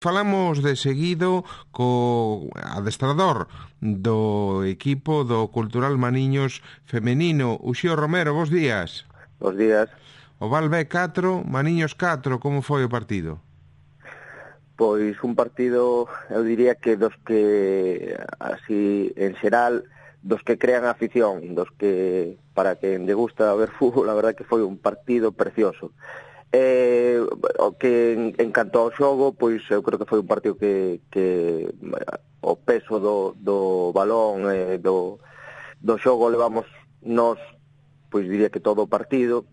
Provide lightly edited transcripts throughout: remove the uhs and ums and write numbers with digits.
Falamos de seguido co adestrador do equipo do Cultural Maniños femenino, Uxío Romero, bos días. Bos días. O Val B 4, Maniños 4, como foi o partido? Pois un partido, eu diría que dos que, así, en xeral, dos que crean afición, dos que, para quen lle gusta ver fútbol, a verdade que foi un partido precioso. O que en canto ao xogo, pois eu creo que foi un partido que o peso do balón, do xogo levamos nós, pois diría que todo o partido.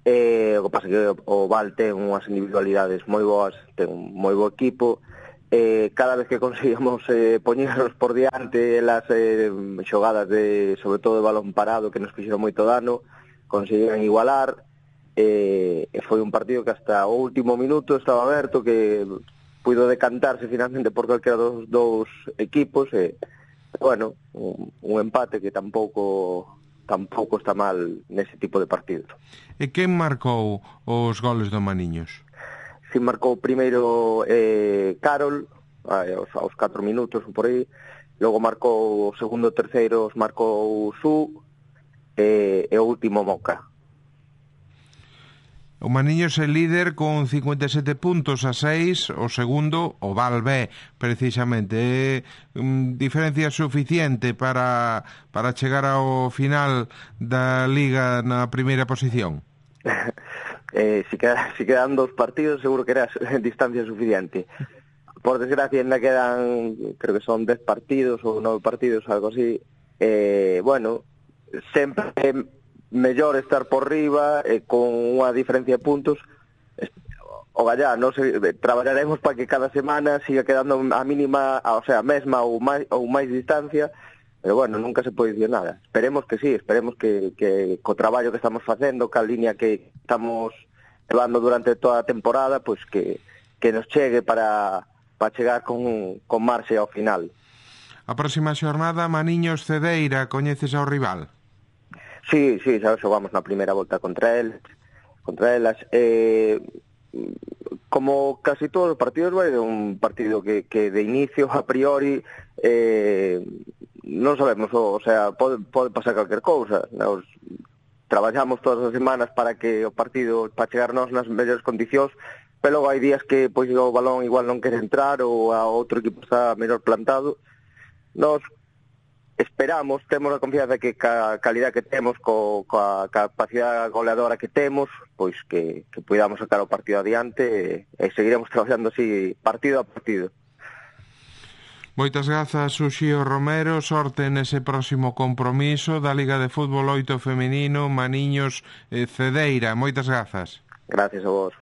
O que pasa que o Val ten unhas individualidades moi boas, ten un moi bo equipo. Cada vez que conseguíamos poñernos por diante las xogadas sobre todo de balón parado que nos fixeron moito dano, conseguían igualar. Foi un partido que hasta o último minuto estaba aberto, que puido decantarse finalmente por calquera dos dous equipos, bueno, un empate que tampouco está mal nese tipo de partidos. E quen marcou os goles do Maniños? Si marcou primeiro Carol, aos 4 minutos por aí, logo marcou o segundo e terceiro, marcou Su, e o último Moca. O Maniños é líder con 57 puntos a 6, o segundo, o Val B, precisamente. É diferencia suficiente para chegar ao final da Liga na primeira posición? Si quedan 2 partidos, seguro que era distancia suficiente. Por desgracia, ainda quedan, creo que son 10 partidos ou 9 partidos, algo así. Bueno, sempre mellor estar por riba, con unha diferencia de puntos. O gallá, traballaremos para que cada semana siga quedando a mínima, o sea, a mesma ou máis distancia, pero bueno, nunca se pode dicir nada. Esperemos que sí, esperemos que co traballo que estamos facendo, ca liña que estamos levando durante toda a temporada, pois que nos chegue para chegar con marxe ao final. A próxima xornada, Maniños Cedeira, coñeces ao rival? Sí, xa xogamos na primeira volta contra elas. Como casi todos os partidos, vai un partido que de inicio, a priori, non sabemos, o sea, pode pasar calquer cousa. Nos traballamos todas as semanas para que o partido, para chegarnos nas mellores condicións, pero logo hai días que pois o balón igual non quere entrar ou a outro equipo está mellor plantado. Nos esperamos, temos a confianza que ca calidad que temos, coa capacidade goleadora que temos, pois que podamos sacar o partido adiante e seguiremos traballando así partido a partido. Moitas grazas, Uxío Romero, sorte nese próximo compromiso da Liga de Fútbol 8 femenino, Maniños Cedeira. Moitas grazas. Gracias a vos.